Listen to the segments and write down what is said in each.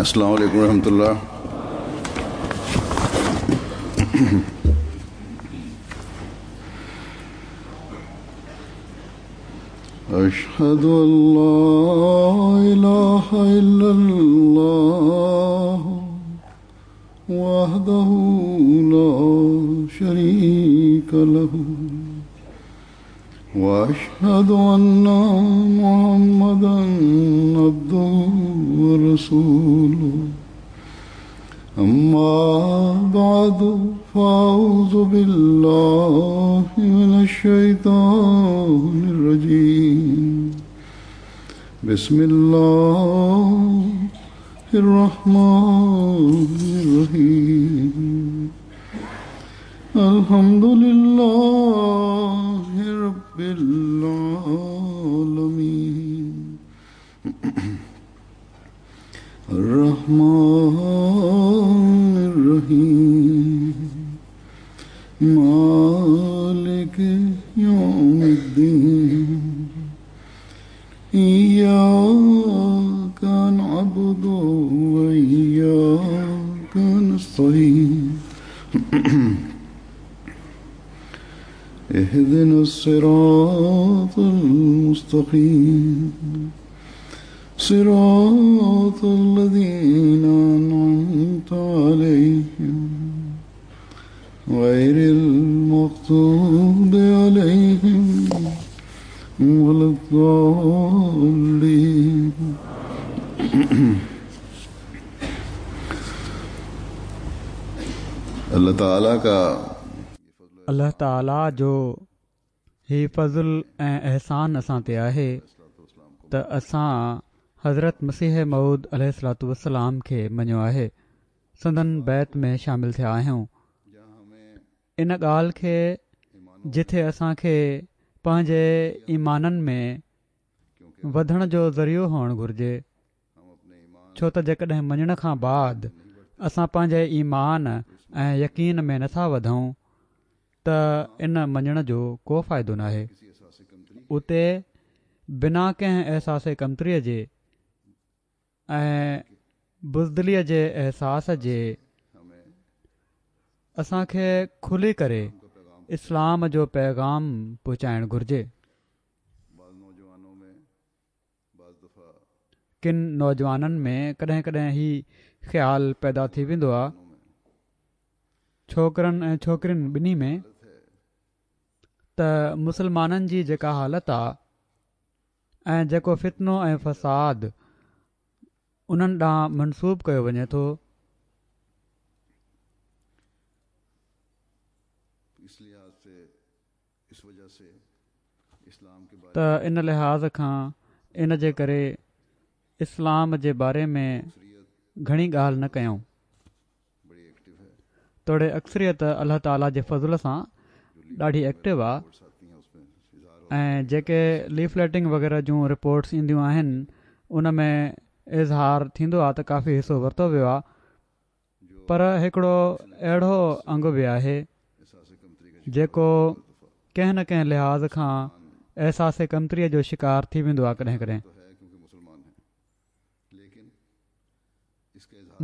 السلام عليڪم ورحمة الله. أشهد أن لا إله إلا الله وحده لا شريك له وأشهد أن محمدا عبده ورسوله. أما بعد، فأعوذ بالله من الشيطان الرجيم. بسم الله الرحمن الرحيم. الحمد لله رب العالمين، الرحمن الرحيم، مالك يوم الدين، إياك نعبد وإياك نستعين، اهدنا الصراط المستقيم، صراط الذين أنعمت عليهم، غير المغضوب عليهم ولا الضالين. الله تعاليٰ کا الله تعاليٰ جو هي فضل ۽ احسان اسان تي آهي ته اسان حضرت مسيح موعود عليه الصلوة والسلام کي مڃيو آهي، سندن بيعت ۾ شامل ٿيا آهيون. ان ڳالهه کي جٿي اسان کي پنهنجي ايمانن ۾ وڌڻ جو ذريعو هئڻ گهرجي، ڇو ته جيڪڏهن مڃڻ کان بعد اسان پنهنجي ايمان ۽ يقين ۾ نٿا وڌون ته ان مڃڻ جو ڪو فائدو ناهي. اتي بنا ڪنهن احساس ڪمتريء جي ۽ بزدليء جي احساس جي اسان کي کلي ڪري اسلام جو پيغام پهچائڻ گهرجي. ڪن نوجوانن ۾ ڪڏهن ڪڏهن هي خيال پيدا ٿي ويندو آ، ڇوڪرن ۽ ڇوڪرين ٻنهي ۾، ته مسلمانن جي جيڪا حالت آ ۽ جيڪو فتنو ۽ فساد انهن ڏانهن منسوب ڪيو وڃي ٿو، ته ان لحاظ کان ان جي ڪري اسلام جي باري ۾ گهڻي ڳالهه نه ڪيون. توڙي اڪثريت الله تعالي جي فضل سان ڏاڍي ايڪٽو آ ۽ جيڪي ليفليٽنگ وغيره جون رپورٽس اينديون آهن ان ۾ اظهار ٿيندو آ ته ڪافي حصو ورتو ويو آ. پر هڪڙو اهڙو انگ به آهي جيڪو ڪنهن نه ڪنهن لحاظ کان احساس ڪمتريء جو شڪار ٿي ويندو آهي ڪڏهن ڪڏهن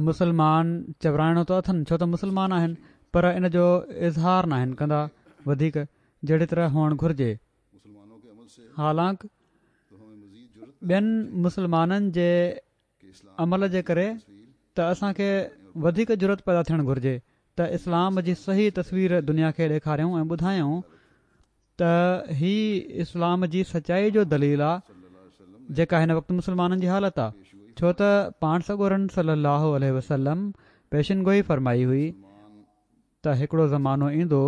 مسلمان چورائڻو ته اٿن ڇو ته مسلمان آهن پر ان جو اظهار ناهن ڪندا وڌيڪ جهڙي طرح هئڻ گهرجي حالانڪ ٻين مسلمانن جي عمل جي ڪري ته اسان کي وڌيڪ جرئت پيدا ٿيڻ گهرجي ته اسلام جي صحيح تصوير دنيا کي ڏيکاريون ۽ ٻڌايون ته هي اسلام جي سچائي جو دليل آ جيڪا هن وقت مسلمانن جي حالت آ ڇو ته پاڻ سڳورن صلي الله عليه وسلم پيشن گوئي فرمائي هئي ته هڪڙو زمانو ايندو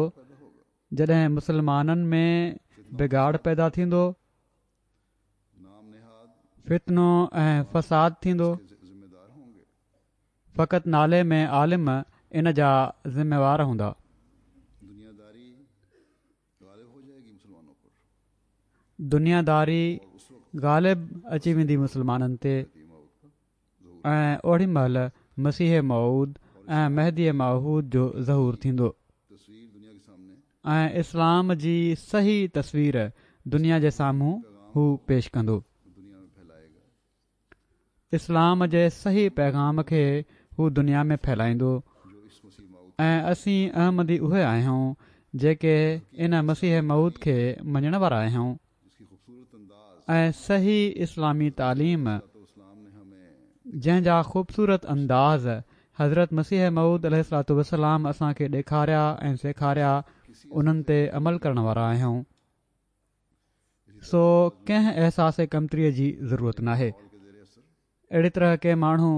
جڏهن مسلمانن ۾ بگاڙ پيدا ٿيندو فتنو ۽ فساد ٿيندو، فقط نالي ۾ عالم ان جا ذميوار هوندا. دنيا داري غالب اچي ويندي مسلمانن تي ۽ اوڙي مهل مسيح موعود ۽ مهدي معهود جو ظهور ٿيندو. ۽ اسلام جي صحيح تصوير دنيا جي سامهون هو پيش ڪندو. اسلام جي صحيح پيغام کي هو دنيا ۾ ڦهلائيندو ۽ اسين احمدي اهي آهيون جيڪي ان مسيح موعود کي مڃڻ وارا آهيون ۽ صحيح اسلامي تعليم جنهن جا خوبصورت انداز حضرت مسيح موعود عليه الصلوة والسلام اسان کي ڏيکاريا ۽ سيکاريا انهن تي عمل ڪرڻ وارا آهيون. سو ڪنهن احساس ڪمتريء جي ضرورت ناهي. اهڙي طرح ڪي ماڻهو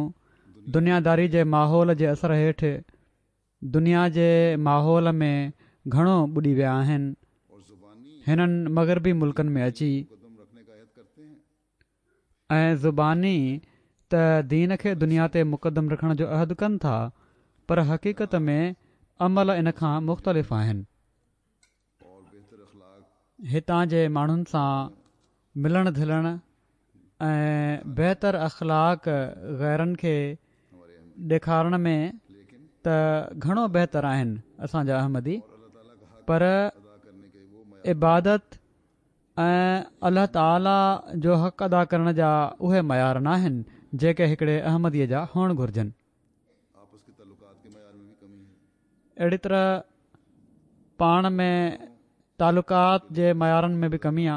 دنياداري جي ماحول جي اثر هيٺ دنيا جي ماحول ۾ گهڻو ٻڏي ويا آهن. هنن مغربي ملڪن ۾ اچي ۽ زباني ته دين کي دنيا تي مقدم رکڻ جو عهد ڪن ٿا پر حقيقت ۾ عمل ان کان مختلف آهن. هتان جي ماڻهن سان ملڻ جلڻ ۽ بهتر اخلاق غيرن کي ڏيکارڻ ۾ ته گهڻو بهتر آهن اسان جا احمدي پر عبادت ۽ الله تعالي جو حق ادا ڪرڻ جا اهي معيار ناهن جيڪي هڪڙي احمدي جا هئڻ گهرجن. اهڙي طرح پاڻ ۾ تعلقات جي معيارن ۾ به ڪمي آ.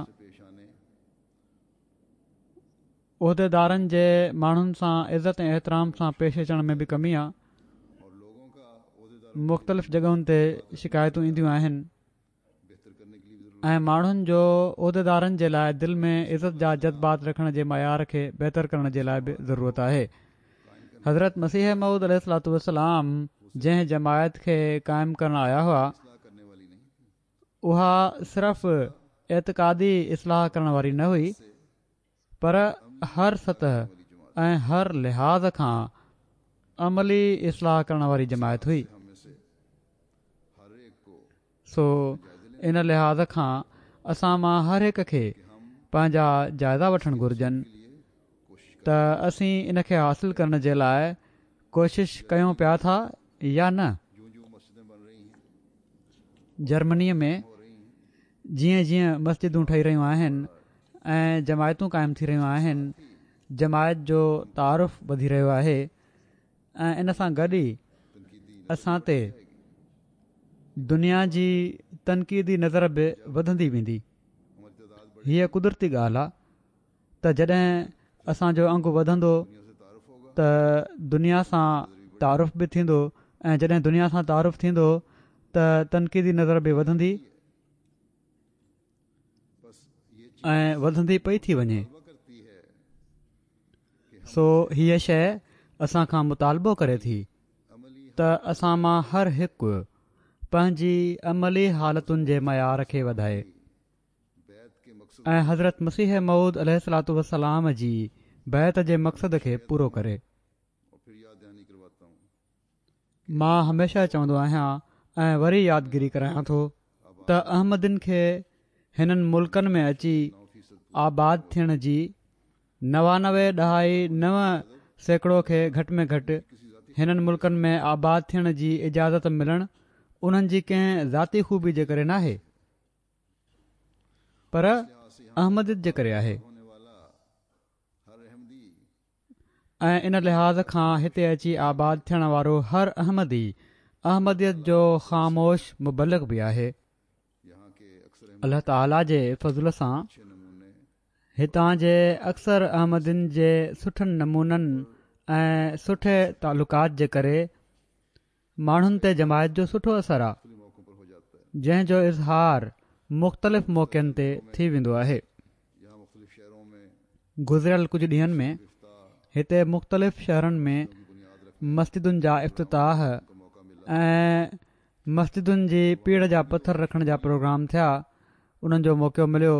عهديدارن جي ماڻهن سان عزت ۽ احترام سان پيش اچڻ ۾ به ڪمي آ. مختلف جڳهن تي شڪايتون اينديون آهن. ۽ ماڻهن جو عهديدارن جي لاء دل ۾ عزت جا جذبات رکڻ جي معيار کي بهتر ڪرڻ جي لاء به ضرورت آهي. حضرت مسيح موعود عليه الصلوة والسلام جنهن جماعت کي قائم ڪرڻ آيا هئا اها صرف اعتقادي اصلاح ڪرڻ واري نه هئي پر هر سطح ۽ هر لحاظ کان عملي اصلاح ڪرڻ واري جماعت هئي. سو ان لحاظ کان اسان مان هر هڪ کي پنهنجا جائزا وٺڻ گهرجن ته اسين ان کي حاصل ڪرڻ جي لاء ڪوشش ڪيون پيا ٿا يا نه. جرمنيء ۾ جيئن جيئن مسجدون ٺهي رهيون آهن ۽ جماعتون قائم ٿي رهيون آهن جماعت جو تعارف وڌي رهيو آهي ۽ ان سان گڏ ئي اسان تي دنيا جي تنقيدي نظر به وڌندي ويندي. هيء قدرتي ڳالهه آ ته جڏهن اسان جو انگ وڌندو ته دنيا سان تعارف به ٿيندو ۽ جڏهن دنيا سان تعارف ٿيندو ته تنقيدي نظر به وڌندي ۽ وڌندي پئي ٿي وڃي. سو هيء شيء اسان کان مطالبو ڪري ٿي ته اسان مان هر هڪ پنهنجي عملي حالتن جي معيار کي وڌائي ۽ حضرت مسيح موعود عليه الصلوة والسلام جي بيعت جي مقصد کي پورو ڪري. مان هميشه چوندو آهيان ۽ وري يادگيري ڪرايان ٿو ته احمدين کي هنن ملڪن ۾ اچي آباد ٿيڻ جي 99 ڏهائي 9% کي گهٽ ۾ گهٽ هنن ملڪن ۾ آباد ٿيڻ جي اجازت ملڻ انهن جي ڪنهن ذاتي خوبي جي ڪري ناهي پر احمديت جي ڪري آهي. ۽ ان لحاظ کان هتي اچي آباد ٿيڻ وارو هر احمدي احمديت جو خاموش مبلغ به آهي. الله تعاليٰ جي فضل سان هتان جي اڪثر احمدين جي سٺن نمونن ۽ سٺي تعلقات جي ڪري ماڻهن تي جماعت جو سٺو اثر آ جنهن جو اظهار مختلف موقعن تي ٿي ويندو آهي. گذريل ڪجهه ڏينهن ۾ هتي مختلف شهرن ۾ مسجدن جا افتتاح ۽ مسجدن جي پيڙهه جا پٿر رکڻ جا پروگرام ٿيا انهن جو موقعو مليو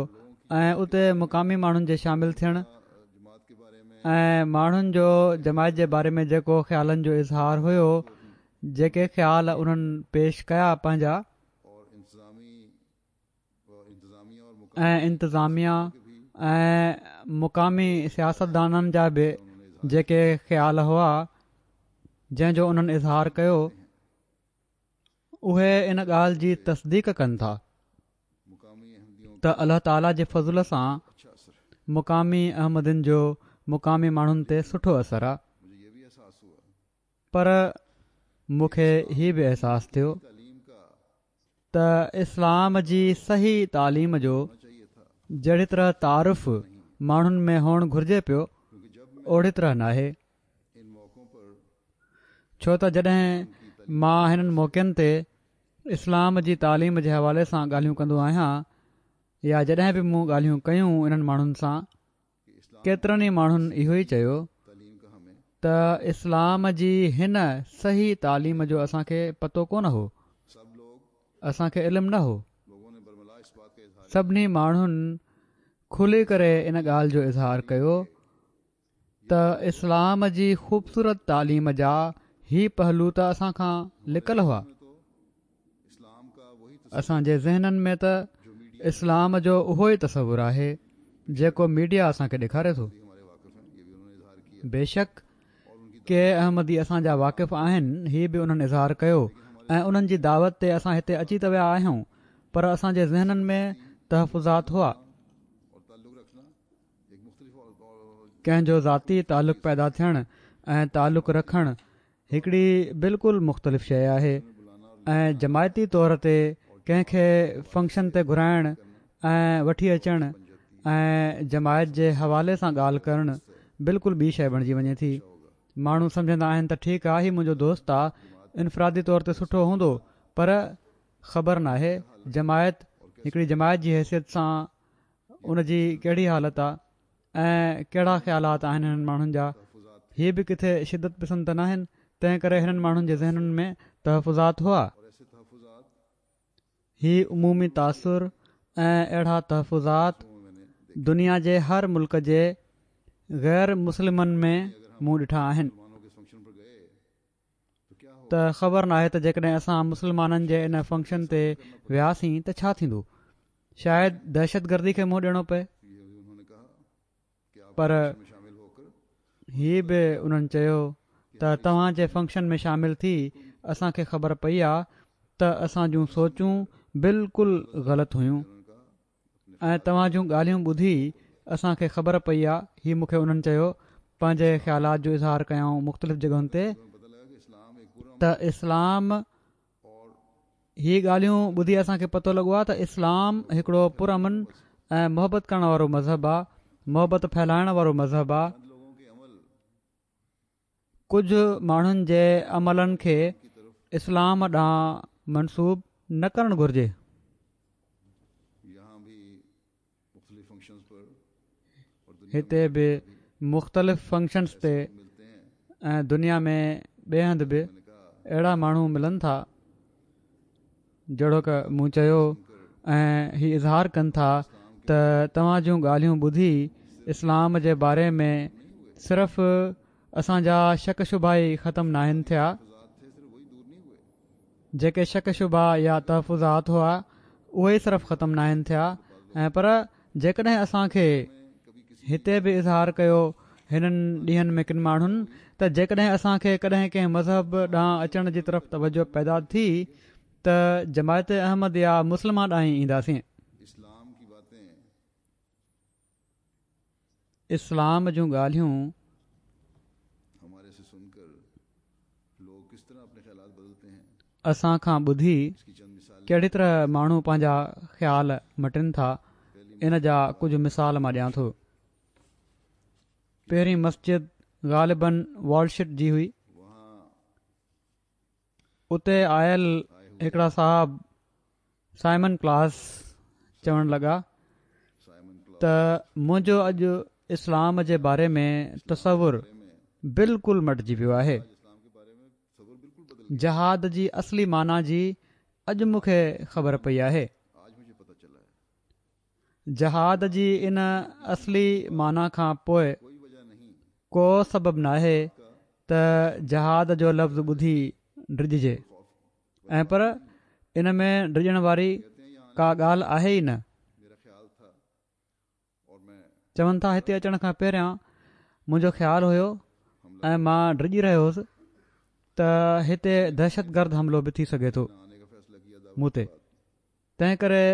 ۽ اتي مقامي ماڻهن جي شامل ٿيڻ ۽ ماڻهن جو جماعت جي باري ۾ جيڪو خيالن جو اظهار هيو جيڪي خيال انهن پيش ڪيا پنهنجا ۽ انتظاميا ۽ مقامي سياستدانن جا به جيڪي خيال هئا جنهن جو انهن اظهار ڪيو اهي ان ڳالهه جي تصديق ڪن ٿا ته الله تعاليٰ جي فضل سان مقامي احمدين جو مقامي ماڻهن تي سٺو اثر آ. پر مون کي هي به احساس ٿيو ته اسلام جي صحيح تعليم جو جهڙي طرح تعارف ماڻهن ۾ هئڻ گهرجي پيو اوڙي طرح ناهي. ڇو ته جڏهن مان هنن موقعن تي اسلام جي تعليم جي حوالي سان ڳالهيون ڪندو آهيان يا جڏهن به مون ڳالهيون ڪيون انهن ماڻهن سان ڪيترن ئي ماڻهن اهو ئي چيو ته اسلام جي هن صحيح تعليم جو اسان کي پتو ڪونه هو اسان کي علم نه هو سڀني ماڻهن کلي ڪري ان ڳالهه جو اظهار ڪيو ته اسلام جي خوبصورت تعليم جا هي پهلو ته اسان کان لڪل هئا. اسان جي ذهنن ۾ ته اسلام جو اهو ئي تصور آهي جيڪو ميڊيا اسان کي ڏيکاري ٿو. بيشڪ ڪي احمدي اسان جا واقف آهن هي به انهن اظهار ڪيو ۽ انهن جي دعوت تي اسان هتي اچي ته ويا آهيون پر اسان جي ذهنن ۾ تحفظات هئا. ڪنهن جو ذاتي تعلق پيدا ٿيڻ ۽ تعلق رکڻ هڪڙي بلڪل مختلف شيء آهي ۽ جماعتي طور تي ڪنهن کي فنڪشن تي گهرائڻ ۽ وٺي اچڻ ۽ جماعت جي حوالي سان ڳالهه ڪرڻ بلڪل ٻي شيء بڻجي وڃي ٿي. ماڻهو سمجهندا آهن ته ٺيڪ آ هي منهنجو دوست آ انفرادي طور تي سٺو هوندو پر خبر ناهي جماعت هڪڙي جماعت جي حيثيت سان ان جي ڪهڙي حالت آ ۽ ڪهڙا خيالات آهن هنن ماڻهن جا هي به ڪٿي شدت پسند ته ناهن تنهن ڪري هنن ماڻهن جي ذهنن ۾ تحفظات هئا. هي عمومي تاثر ۽ اهڙا تحفظات دنيا جي هر ملڪ جي غير مسلمن ۾ مون ڏٺا آهن. ته خبر ناهي ته جيڪڏهن اسان مسلمانن جي ان فنڪشن تي وياسين ته ڇا ٿيندو شايد دهشتگردي کي منهن ڏيڻو پئي پر هي به انهن چيو ته توهان جي فنڪشن ۾ شامل ٿي اسان کي خبر پئي آ ته اسان جون سوچون بلڪل غلط هيون ۽ توهان جون ڳالهيون ٻڌي اسان کي خبر پئي آ هي مون کي انهن چيو پنهنجي خيالات جو اظهار ڪيائون مختلف جڳهن تي ته اسلام هي ڳالهيون ٻڌي اسان کي پتو لڳو آ ته اسلام هڪڙو پرامن ۽ محبت ڪرڻ وارو مذهب آ محبت ڦهلائڻ وارو مذهب آ ڪجهه ماڻهن جي عملن کي اسلام ڏانهن منسوب نه ڪرڻ گهرجي. هتي به مختلف فنڪشنز تي ۽ دنيا ۾ ٻئي هنڌ به اهڙا ماڻهو ملن ٿا. جهڙوڪ مون چيو ۽ هي اظهار ڪن ٿا ته توهان جون ڳالهيون ٻڌي اسلام جي باري ۾ صرف اسان جا شڪ شبها ئي ختم ناهن ٿيا جيڪي شڪ شبها يا تحفظات هئا اهي ئي صرف ختم ناهن ٿيا ۽ پر جيڪڏهن اسان کي هتي به اظهار ڪيو هنن ڏينهن ۾ ڪن ماڻهن ته جيڪڏهن اسان کي ڪڏهن ڪنهن مذهب ڏانهن اچڻ جي طرف توجه پيدا ٿي ته جماعت احمديه مسلمه ڏانهن ئي اينداسين. اسلام جون ڳالهيون اسان کان ٻڌي ڪهڙي طرح ماڻهو پنهنجا خيال مٽن ٿا ان جا ڪجهه مثال مان ڏيان ٿو. پهرين مسجد غالباً والشٽ جي هئي. اتي آيل هڪڙا صاحب سائمن ڪلاس چوڻ لڳا ته منهنجو اڄ اسلام جي باري ۾ تصور بلڪل مٽجي ويو آهي جهاد جي اصلي معنيٰ جي اڄ مون کي خبر پئي آهي جهاد جي ان اصلي معنيٰ کان پوء ڪو سبب ناهي ته جهاد جو لفظ ٻڌي ڊڄجي ۽ پر ان ۾ ڊڄڻ واري ڪا ڳالهه آهي ئي نه. چون ٿا هتي اچڻ کان پهريان منهنجو خيال هيو ۽ مان ڊڄي رهيو هوس ته هتي دهشتگرد حملو به ٿي سگهي ٿو مون تي تنهن ڪري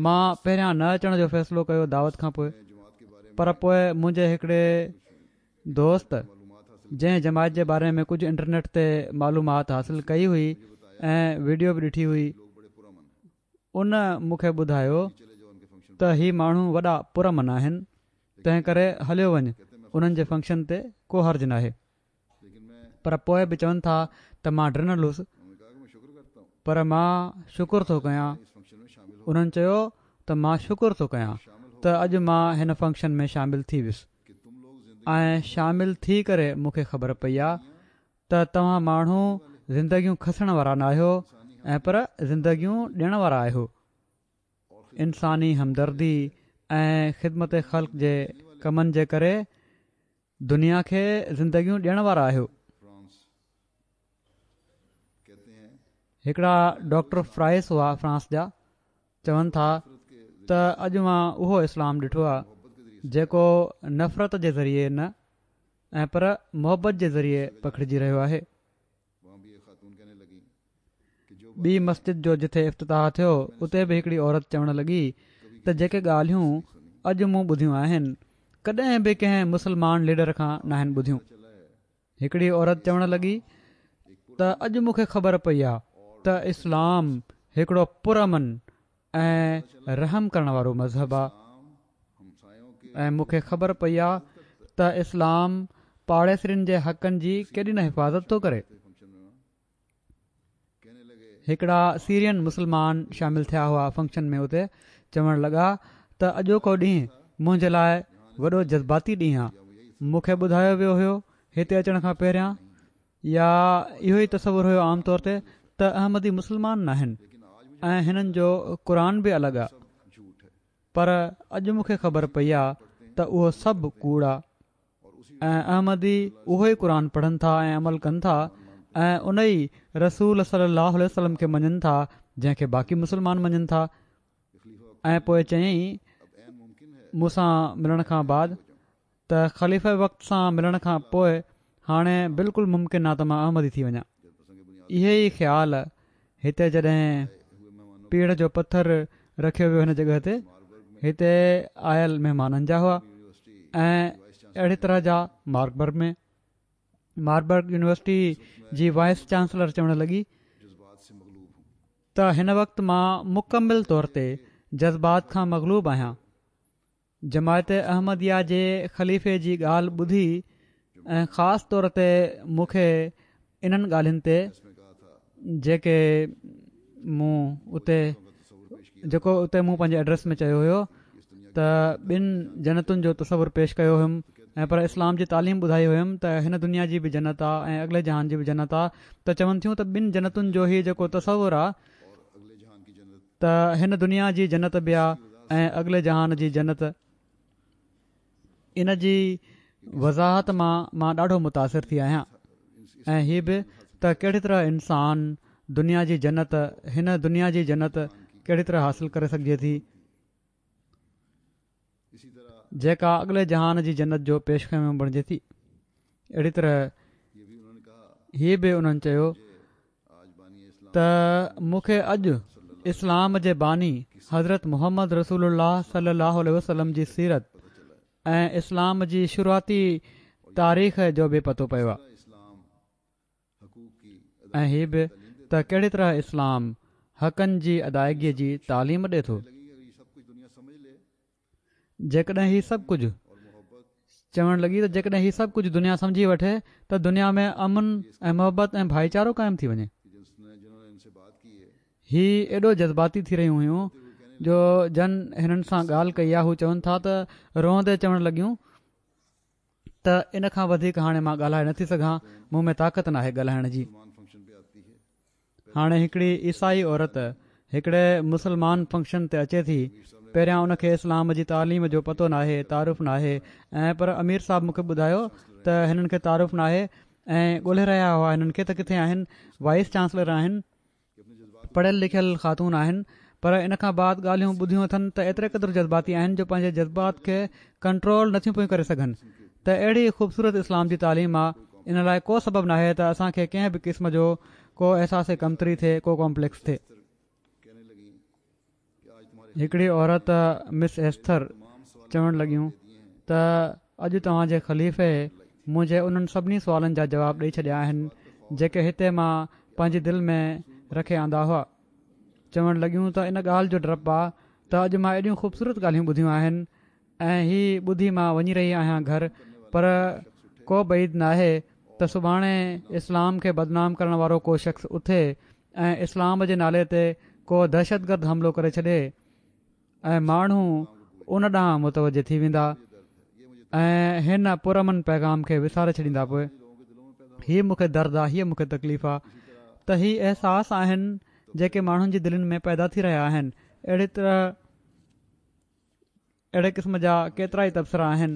مان پهريان نه اچڻ جو فيصلو ڪيو دعوت کان پوء. پر پوء منهنجي هڪڙي دوست جنهن جماعت جي باري ۾ ڪجهه انٽرنيٽ تي معلومات حاصل ڪئي هئي ۽ ويڊيو به ڏٺي هئي ان مون کي ٻڌايو ته هي ماڻهو وڏا پرامن آهن تنهن ڪري هليو وڃ انهن جي فنڪشن تي ڪو حرج ناهي. پر پوء به چون ٿا ته مان ڊنل هوس پر مان شڪر ٿو ڪيان انهن چيو ته مان شڪر ٿو ڪيان ته اڄ مان هن فنڪشن ۾ شامل ٿي ويس ۽ شامل ٿي ڪري مون کي خبر پئي آ ته توهان ماڻهو زندگيون کسڻ وارا ناهيو ۽ پر زندگيون ڏيڻ وارا آهيو. انساني همدردي ۽ خدمت خلق جي ڪمن جي ڪري دنيا کي زندگيون ڏيڻ وارا آهيو. هڪڙا ڊاڪٽر فرائس هئا فرانس جا چون ٿا ته اڄ مان اهو اسلام ڏٺو آهي جيڪو نفرت جي ذريعي نه ۽ پر محبت جي ذريعي پکڙجي رهيو آهي. ٻي مسجد جو جٿي افتتاح ٿيو اتي به هڪڙي عورت چوڻ لڳي ته جيڪي ڳالهيون اڄ مون ٻڌيون آهن ڪڏهن به ڪنهن مسلمان ليڊر کان ناهن ٻڌيون. هڪڙي عورت چوڻ لڳي ته اڄ مون کي خبر پئي آ ته اسلام هڪڙو پرامن ۽ رحم ڪرڻ وارو مذهب آ ۽ مون کي خبر پئي آ ته اسلام پاڙيسرين جي حقن جي ڪيڏي نه حفاظت ٿو ڪري. هڪڙا سيرين مسلمان شامل ٿيا هئا فنڪشن ۾ اتي چوڻ لڳا ته اڄوڪو ڏينهن منهنجي لاء وڏو جذباتي ڏينهن آ مون کي ٻڌايو ويو هيو هتي اچڻ کان پهريان يا اهو ئي تصور هيو عام طور تي ته احمدي مسلمان ناهن ۽ هنن جو قرآن به الڳ آ پر اڄ مون کي خبر پئي آ ته اهو سڀ ڪوڙ آ ۽ احمدي اهو ئي قرآن پڙهن ٿا ۽ عمل ڪن ٿا ۽ ان ئي رسول صلي الله عليه وسلم کي مڃن ٿا جنهن کي باقي مسلمان مڃن ٿا ۽ پوء چيائين مون سان ملڻ کان بعد ته خليفه وقت سان ملڻ کان پوء هاڻي بلڪل ممڪن آ ته مان احمدي ٿي وڃان. اهي ئي خيال هتي جڏهن پيڙهه جو پٿر رکيو ويو هن جڳهه تي هتي آيل مهمانن جا هئا ۽ اهڙي طرح جا ماربرگ ۾ ماربرگ يونيورسٽي جي وائيس چانسلر چوڻ لڳي ته هن وقت مان مڪمل طور تي جذبات کان مغلوب آهيان جماعت احمديه جي خليفي جي ڳالهه ٻڌي ۽ خاص طور تي مون کي انهن ڳالهين تي جيڪي مون اتي جيڪو اتي مون پنهنجي ايڊريس ۾ چيو هيو ته ٻن جنتن جو تصور پيش ڪيو هيم ۽ پر اسلام جي تعليم ٻڌائي هيم ته هن دنيا جي به جنت آ ۽ اڳلي جهان جي به جنت آ ته چون ٿيون ته ٻن جنتن جو هي جيڪو تصور آ ته هن دنيا جي جنت به آ ۽ اڳلي جهان جي جنت ان جي وضاحت مان مان ڏاڍو متاثر ٿي آهيان ۽ هي به ته ڪهڙي طرح انسان دنيا جي جنت هن دنيا جي جنت ڪهڙي طرح حاصل ڪري سگهجي ٿي جيڪا اڳلي جهان جي جنت جو پيش خيمو بڻجي ٿي. اهڙي طرح هي به انهن چيو ته مون کي اڄ اسلام جي باني حضرت محمد رسول الله صلي الله عليه وسلم جي سيرت ۽ اسلام جي شروعاتي تاريخ جو به پتو پيو آهي. ۽ هي به ته ڪهڙي طرح اسلام حقن جي ادائگي جي تعليم ڏي ٿو. جيڪڏهن هي سڀ ڪجهه چوڻ لڳي ته جيڪڏهن هي سڀ ڪجهه دنيا سمجهي وٺي ته دنيا ۾ امن ۽ محبت ۽ ڀائيچارو قائم ٿي وڃي. هي ايڏو جذباتي ٿي رهيون هيون جو جن هنن سان ڳالهه ڪئي آهي هو چون ٿا ته روئندي چوڻ لڳيون ته ان کان وڌيڪ هاڻي مان ڳالهائي نٿي سگهان مون ۾ طاقت ناهي ڳالهائڻ جي. هاڻي هڪڙي عيسائي عورت هڪڙي مسلمان فنڪشن تي اچي ٿي پهريان ان کي اسلام جي تعليم جو پتو ناهي تعارف ناهي ۽ پر امير صاحب مون کي ٻڌايو ته هنن کي تعارف ناهي ۽ ڳولهي رهيا هئا هنن کي ته ڪٿي آهن وائيس چانسلر آهن پڙهيل لکيل خاتون آهن پر ان کان بعد ڳالهيون ٻڌيون اٿن ته ايتري قدر جذباتي آهن جو پنهنجي جذبات کي ڪنٽرول نٿيون پيون ڪري سگهن ته اهڙي خوبصورت اسلام جي تعليم آ ان لاء ڪو سبب ناهي ته اسان کي ڪنهن به قسم جو ڪو احساس ڪمتري ٿئي ڪو ڪامپليڪس ٿئي. هڪڙي عورت مس ايسٿر چوڻ لڳيون ته اڄ توهان جي خليفي منهنجي انهن سڀني سوالن جا جواب ڏئي ڇڏيا آهن جيڪي هتي مان پنهنجي دل ۾ رکي آندا هئا. چوڻ لڳيون ته ان ڳالهه جو ڊپ آ ته اڄ مان ايڏيون خوبصورت ڳالهيون ٻڌيون آهن ۽ هي ٻڌي مان وڃي رهي آهيان گهر پر ڪو بعيد ناهي ته سڀاڻي اسلام کي بدنام ڪرڻ وارو ڪو شخص اٿي ۽ اسلام جي نالي تي ڪو دهشتگرد حملو ڪري ڇڏي ۽ ماڻهو ان ڏانهن متوجه ٿي ويندا ۽ هن پرامن پيغام کي وساري ڇڏيندا پوء هي مون کي درد آ هيء مون کي تڪليف آ ته هي احساس آهن جيڪي ماڻهن جي دلين ۾ پيدا ٿي رهيا آهن اهڙي طرح اهڙي قسم جا ڪيترائي تبصرا آهن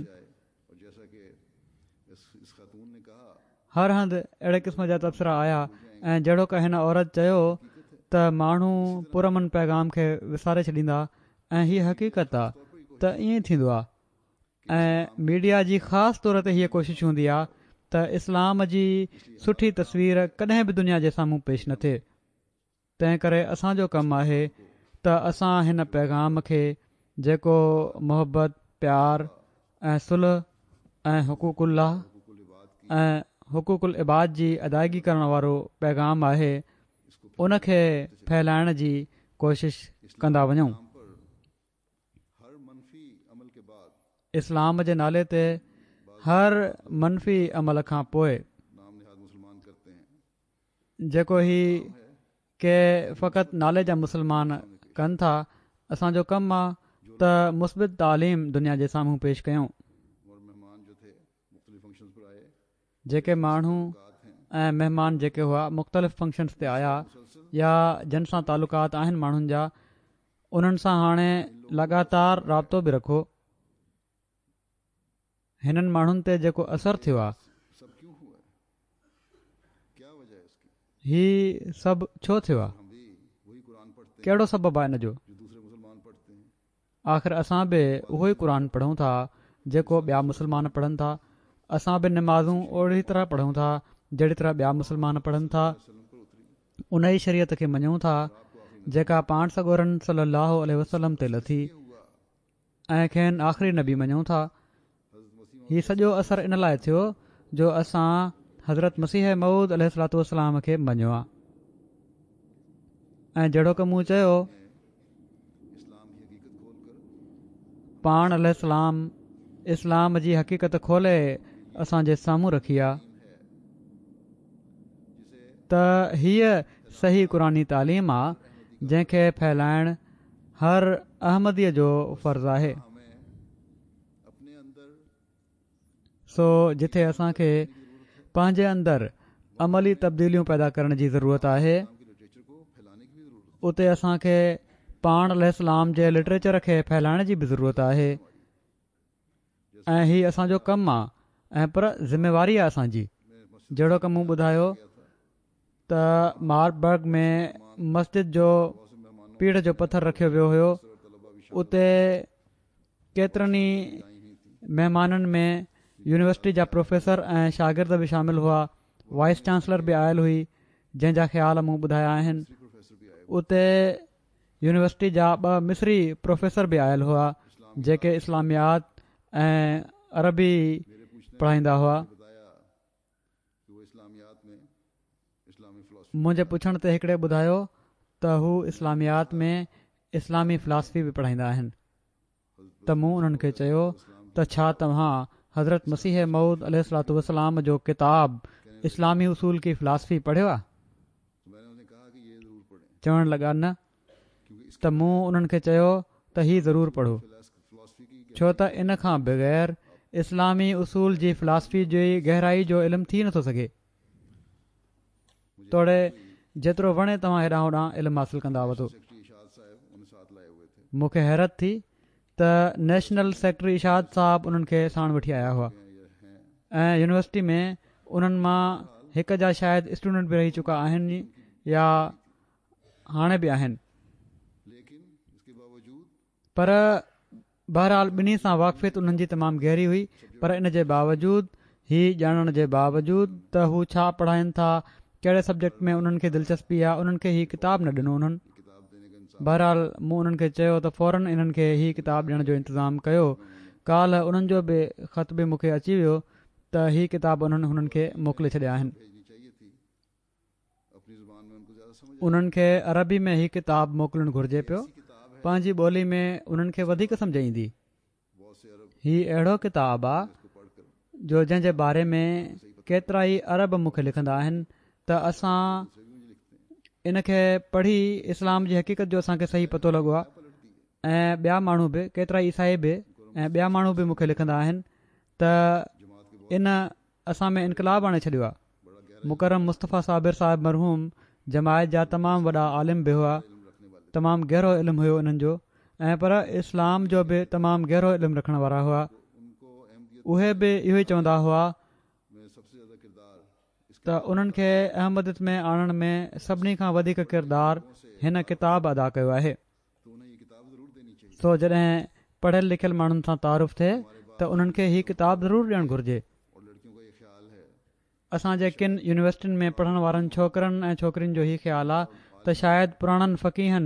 هر هنڌ اهڙي قسم جا تبصرا آيا ۽ جهڙوڪ هن عورت چيو ته ماڻهو پرامن پيغام کي وساري ڇڏيندا ۽ هي حقيقت آ ته ائين ئي ٿيندو آ ۽ ميڊيا جي خاص طور تي هيء ڪوشش هوندي آ ته اسلام جي سٺي تصوير ڪڏهن به دنيا جي سامهون پيش نه ٿئي. تنهن ڪري اسان جو ڪم آهي ته اسان هن پيغام کي جيڪو محبت، پيار ۽ صلح ۽ حقوق الله ۽ حقوق العباد جي ادائگي ڪرڻ وارو پيغام آهي ان کي ڦهلائڻ جي ڪوشش ڪندا وڃون. اسلام جي نالي تي هر منفي عمل کان پوء. جيڪو هي ڪي فقط نالي جا مسلمان ڪن ٿا اسان جو ڪم آ ته مثبت تعليم دنيا جي سامهون پيش ڪيون. جيڪي ماڻهو ۽ مهمان جيڪي هئا مختلف فنڪشنز تي آيا يا جن سان تعلقات آهن ماڻهن جا انهن سان هاڻي لڳاتار رابطو به رکو. هنن ماڻهن تي جيڪو اثر ٿيو آهي هي سڀ ڇو ٿيو آهي ڪهڙو سبب آهي ان جو آخر اسان به اهو ئي قرآن پڙهون ٿا جيڪو ٻيا مسلمان پڙهن ٿا اسان به نمازون اهڙي طرح پڙهون ٿا جهڙي طرح ٻيا مسلمان پڙهن ٿا ان ئي شريعت کي مڃون ٿا جيڪا پاڻ سڳورن صلي الله عليه وسلم تي لٿي ۽ کين آخري نبي مڃون ٿا. هي سڄو اثر ان لاء ٿيو جو اسان حضرت مسيح موعود عليه الصلوة والسلام کي مڃيو آ ۽ جهڙوڪ مون چيو پاڻ عليه السلام اسلام جي حقيقت کولي اسان جي سامهون رکي آ ته هيء صحيح قرآني تعليم آ جنهن کي ڦهلائڻ هر احمديء جو فرض آهي. سو جتي اسان کي پنهنجي اندر عملي تبديليون پيدا ڪرڻ جي ضرورت آهي اتي اسان کي پاڻ عليه السلام جي لٽريچر کي ڦهلائڻ جي به ضرورت آهي ۽ هي اسان جو ڪم آ ۽ پر ذميواري آ اسان جي جهڙوڪ مون ٻڌايو ته ماربرگ ۾ مسجد جو پيڙهه جو پٿر رکيو ويو هيو اتي ڪيترن ئي مهمانن ۾ يونيورسٽي جا پروفيسر ۽ شاگرد به شامل هئا وائس چانسلر به آيل هئي جنهن جا خيال مون ٻڌايا آهن اتي يونيورسٽي جا ٻه مصري پروفيسر به آيل هئا جيڪي اسلاميات ۽ عربي پڙهائيندا هئا منهنجي پڇڻ تي هڪڙي ٻڌايو ته هو اسلاميات ۾ اسلامي فلاسفي به پڙهائيندا آهن ته مون انهن کي چيو ته ڇا توهان حضرت مسيح موعود عليه الصلوة والسلام جو ڪتاب اسلامي اصول ڪي فلاسفي پڙهيو آهي؟ چوڻ لڳا نه ته مون انهن کي چيو ته هي ضرور پڙهو ڇو ته ان کان بغير اسلامي اصول جي فلاسفي جي گهرائي جو علم ٿي نٿو سگهي توڙي جيترو وڻي توهان هيڏانهن هوڏانهن علم حاصل ڪندا وتو مون کي حيرت ٿي ته نيشنل سيڪريٽري اشاعت صاحب انهن کي ساڻ وٺي آيا هئا ۽ يونيورسٽي ۾ انهن مان هڪ جا شايد اسٽوڊنٽ به رهي چڪا آهن يا هاڻي به آهن پر بهرحال ٻنهي سان واقفيت انهن جي تمام گهري هئي پر ان جي باوجود هي ڄاڻڻ جي باوجود ته هو ڇا پڙهائين ٿا ڪهڙي سبجيڪٽ ۾ انهن کي دلچسپي آهي انهن کي هي ڪتاب نه ڏنو انهن بهرحال مون انهن کي چيو ته فورن انهن کي هي ڪتاب ڏيڻ جو انتظام ڪيو. ڪالهه انهن جو به خط به مون کي اچي ويو ته هي ڪتاب انهن هنن کي موڪلي ڇڏيا آهن. انهن کي عربي ۾ هي ڪتاب موڪلڻ گهرجي پيو. پنهنجي ٻولي ۾ انهن کي وڌيڪ سمجهه ايندي. هي اهڙو ڪتاب آ جو جنهن جي باري ۾ ڪيترائي عرب مون کي لکندا آهن ته اسان ان کي پڙهي اسلام جي حقيقت جو اسان کي صحيح پتو لڳو آ ۽ ٻيا ماڻهو به ڪيترائي عيسائي به ۽ ٻيا ماڻهو به مون کي لکندا آهن ته ان اسان ۾ انقلاب آڻي ڇڏيو آ مڪرم مصطفيٰ صابر صاحب مرحوم جماعت جا تمام وڏا عالم به هئا تمام گهرو علم هيو انهن جو ۽ پر اسلام جو به تمام گهرو علم رکڻ وارا هئا اهي به اهو ئي چوندا هئا ته انهن کي احمديت ۾ آڻڻ ۾ سڀني کان وڌيڪ ڪردار هن ڪتاب ادا ڪيو آهي سو جڏهن پڙهيل لکيل ماڻهن سان تعارف ٿئي ته انهن کي هي ڪتاب ضرور ڏيڻ گهرجي. اسان جي ڪن يونيورسٽين ۾ پڙهڻ وارن ڇوڪرن ۽ ڇوڪرين جو هي خيال آ ته شايد پراڻن فقيهن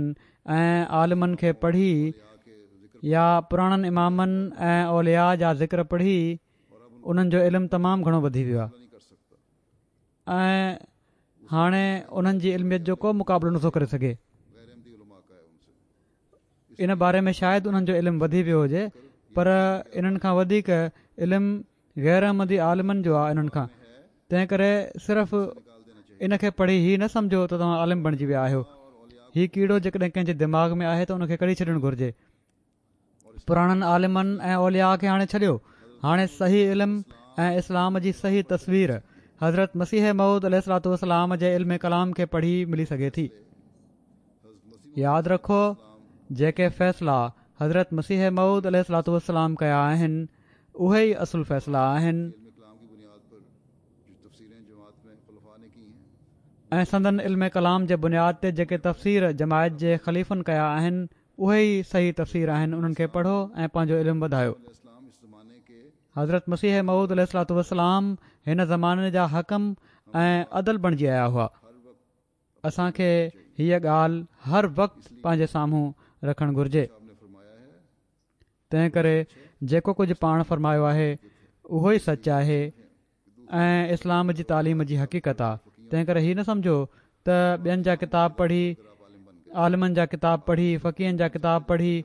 ۽ عالمن کي پڙهي يا پراڻن امامن ۽ اولياء جا ذڪر پڙهي انهن جو علم تمام گهڻو وڌي ويو آ. ۽ هاڻي انهن جي علميت جو ڪو مقابلو نٿو ڪري سگهي. ان باري ۾ شايد انهن جو علم وڌي ويو هجي پر انهن کان وڌيڪ علم غير احمدي عالمن جو آهي انهن کان تنهن ڪري صرف ان کي پڙهي هي نه سمجهو ته توهان عالم بڻجي ويا آهيو هي ڪيڙو جيڪڏهن ڪنهن جي دماغ ۾ آهي ته ان کي ڪڍي ڇڏڻ گهرجي پراڻن عالمن ۽ اولياء کي هاڻي ڇڏيو، هاڻي صحيح علم ۽ اسلام جي صحيح تصوير حضرت مسيح موعود عليه الصلوة والسلام جي علم ڪلام کي پڙهي ملي سگهي ٿي. ياد رکو جيڪي فيصلا حضرت مسيح موعود عليه الصلوة والسلام ڪيا آهن اهي ئي اصل فيصلا آهن. ۽ سندن علم ڪلام جي بنياد تي جيڪي تفسير جماعت جي خليفن ڪيا آهن اهي ئي صحيح تفسير آهن انهن کي پڙهو ۽ پنهنجو علم وڌايو. حضرت مسيح موعود عليه الصلوة والسلام هن زماني جا حڪم ۽ عدل بڻجي آيا هئا. اسان کي هيء ڳالهه هر وقت پنهنجي سامهون رکڻ گهرجي. تنهن ڪري جيڪو ڪجهه پاڻ فرمايو آهي اهو ئي سچ آهي ۽ اسلام جي تعليم جي حقيقت آ تنهن ڪري هي نه سمجهو ته ٻين جا ڪتاب پڙهي عالمن جا ڪتاب پڙهي فقيهن جا ڪتاب پڙهي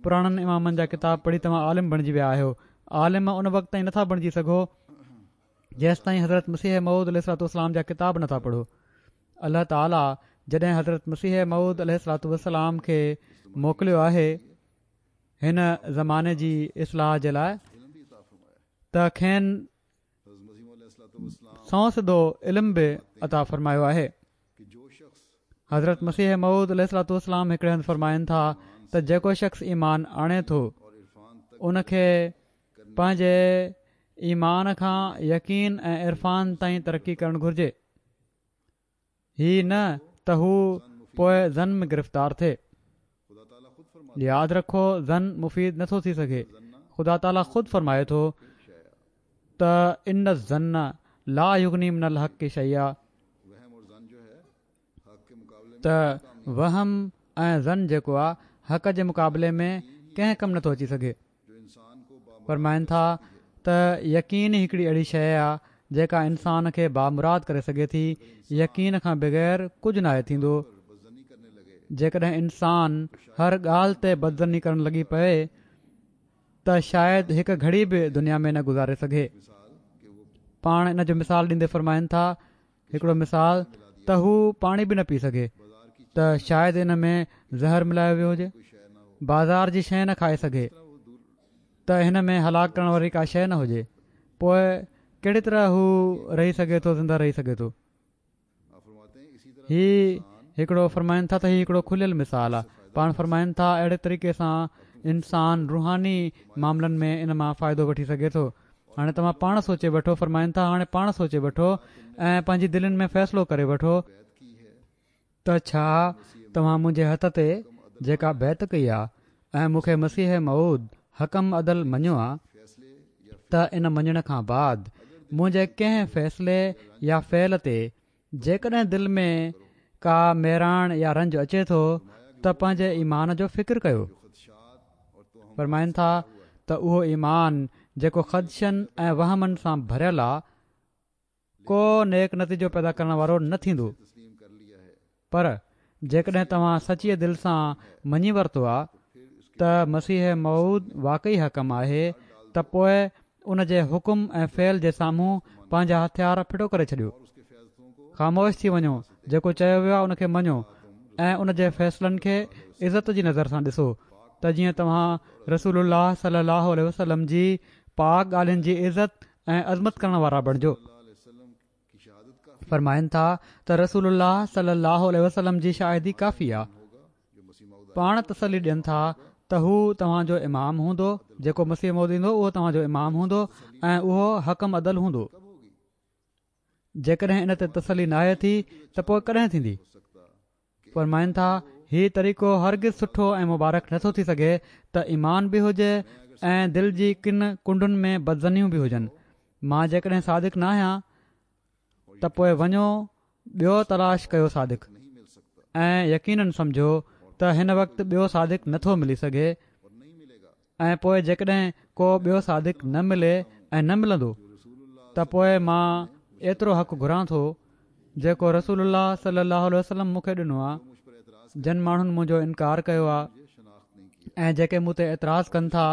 پراڻن امامن جا ڪتاب پڙهي توهان عالم بڻجي ويا آهيو عالم ان وقت تائين نٿا بڻجي سگهو جيستائين حضرت مسيح موعود عليه الصلوة والسلام جا ڪتاب نٿا پڙهو الله تعالي جڏهن حضرت مسيح موعود عليه الصلوة والسلام کي موڪليو آهي هن زماني جي اصلاح جي لاء ته کين سنئون سڌو علم به عطا فرمايو آهي. حضرت مسيح موعود عليه الصلوة والسلام هڪڙي هنڌ فرمائن ٿا ته جيڪو شخص ايمان آڻي ٿو ان کي پنهنجي ايمان کان يقين ۽ عرفان تائين ترقي ڪرڻ گهرجي. هي نه ته هو پوء ظن ۾ گرفتار ٿئي. ياد رکو ظن مفيد نٿو ٿي سگهي. خدا تعاليٰ خود فرمائي ٿو ته ان الظن لا يغني من الحق شيئا ته وهم ۽ ظن جيڪو آهي حق جي مقابلي ۾ ڪنهن ڪم نٿو اچي سگهي. فرمائن ٿا ته يقين ئي هڪڙي اهڙي شيء آ جيڪا انسان کي بامراد ڪري سگهي ٿي، يقين کان بغير ڪجهه ناهي ٿيندو، جيڪڏهن انسان هر ڳالهه تي بدظني ڪرڻ لڳي پئي ته شايد هڪ گهڙي به دنيا ۾ نه گذاري سگهي. پاڻ ان جو مثال ڏيندي فرمائن ٿا هڪڙو مثال ته هو پاڻي به نه پي سگهي ته شايد ان ۾ زهر ملايو ويو هجي بازار جي شيء نه کائي سگهي ته هن ۾ هلاڪ ڪرڻ واري ڪا شيء نه هجي پوء ڪهڙي طرح هو رهي سگهي ٿو زنده رهي سگهي ٿو هي هڪڙو فرمائن ٿا ته هي هڪڙو کليل مثال آهي پاڻ فرمائن ٿا اهڙي طريقي سان انسان روحاني معاملن ۾ ان مان فائدو وٺي سگهي ٿو هاڻي توهان پاڻ سوچي وٺو، فرمائن ٿا، هاڻي پاڻ سوچي وٺو ۽ پنهنجي دلين ۾ فيصلو ڪري وٺو ته ڇا توهان منهنجي هٿ تي جيڪا بيعت ڪئي آ ۽ مون کي مسيح موعود حڪم عدل مڃيو آ ته ان مڃڻ کان بعد منهنجي ڪنهن فيصلي يا فعل تي جيڪڏهن دل ۾ ڪا ميراڻ يا رنج اچي ٿو ته پنهنجي ايمان جو فڪر ڪيو. فرمائن ٿا ته اهو ايمان جيڪو خدشن ۽ وهمن سان ڀريل آ، ڪو نيڪ نتيجو پيدا ڪرڻ وارو نه ٿيندو. پر جيڪڏهن توهان سچيء دل سان مڃي ورتو آ ته مسيح موعود واقعي حڪم آهي ته پوء ان جي حڪم ۽ فعل جي سامهون پنهنجا هٿيار ڦٽو ڪري ڇڏيو. خاموش ٿي وڃو، جيڪو چيو ويو آهي ان کي مڃو ۽ ان جي فيصلن کي عزت جي نظر سان ڏسو ته جيئن توهان رسول الله صلي الله عليه وسلم جي پاڪ ڳالهين جي عزت ۽ عظمت ڪرڻ وارا بڻجو. فرمائن ٿا ته رسول الله صلي الله عليه وسلم جي شاهدي ڪافي آ. پاڻ تسلي ڏين ٿا ته هو توهان جو امام هوندو، جيڪو مسيح موعود ايندو اهو توهان جو امام هوندو ۽ اهو حڪم عدل هوندو. جيڪڏهن ان تي تسلي ناهي ٿي ته پوء ڪڏهن ٿيندي؟ فرمائن ٿا هي طريقو هرگز سٺو ۽ مبارڪ نٿو ٿي سگهي ته ايمان به هجي ۽ دل جي ڪن ڪنڊن ۾ بدظنيون به هجن. مان جيڪڏهن صادق ناهيان ته پوء وڃو ٻيو تلاش ڪيو صادق ۽ يقينن سمجهو ته هن وقت ٻيو صادق نٿو ملي سگهي ۽ پوء جيڪڏهن ڪو ٻيو صادق نه ملي ۽ نه ملندو ته پوء مان ايترو حق گهران ٿو جيڪو رسول الله صلي الله عليه وسلم مون کي ڏنو آهي جن ماڻهن منهنجو انڪار ڪيو آهي ۽ جيڪي مون تي اعتراض ڪن ٿا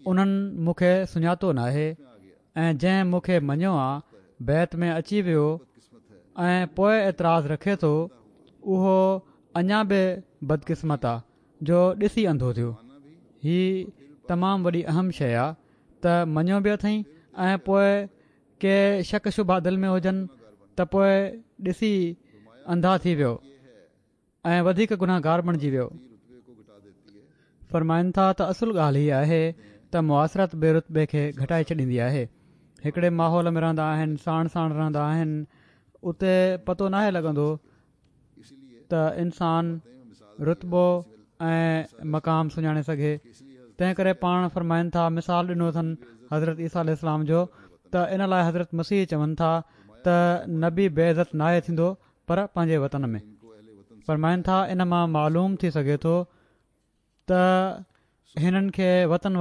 انهن مون کي سڃاتو ناهي ۽ جنهن مون کي مڃيو آ، بيعت ۾ اچي ويو ۽ پوء اعتراض رکي ٿو، اهو اڃا به بدقسمت آ جو ڏسي انڌو ٿيو. هي تمام وڏي اهم شيء آ ته مڃيو به اٿئين ۽ پوء ڪي شڪ شبها دل ۾ هجن ته پوء ڏسي انڌا ٿي ويو. ۽ وڌيڪ گنهگار بڻجي ويو. فرمائن ٿا ته اصل ڳالهه هي آهي ته معاصرت به رتبي کي گهٽائي ڇڏيندي آهي. هڪڙي ماحول ۾ رهندا آهن، ساڻ ساڻ رهندا آهن، اتي پتو ناهي لڳندو ته انسان رتبو ۽ مقام سڃاڻي سگهي. تنهن ڪري پاڻ فرمائن ٿا مثال ڏنو اٿن حضرت عيسيٰ عليه السلام جو ته ان لاء حضرت مسيح چون ٿا ته نبي بي عزت ناهي ٿيندو پر پنهنجي وطن ۾. فرمائن ٿا ان مان معلوم ٿي سگهي ٿو ته هنن کي وطن.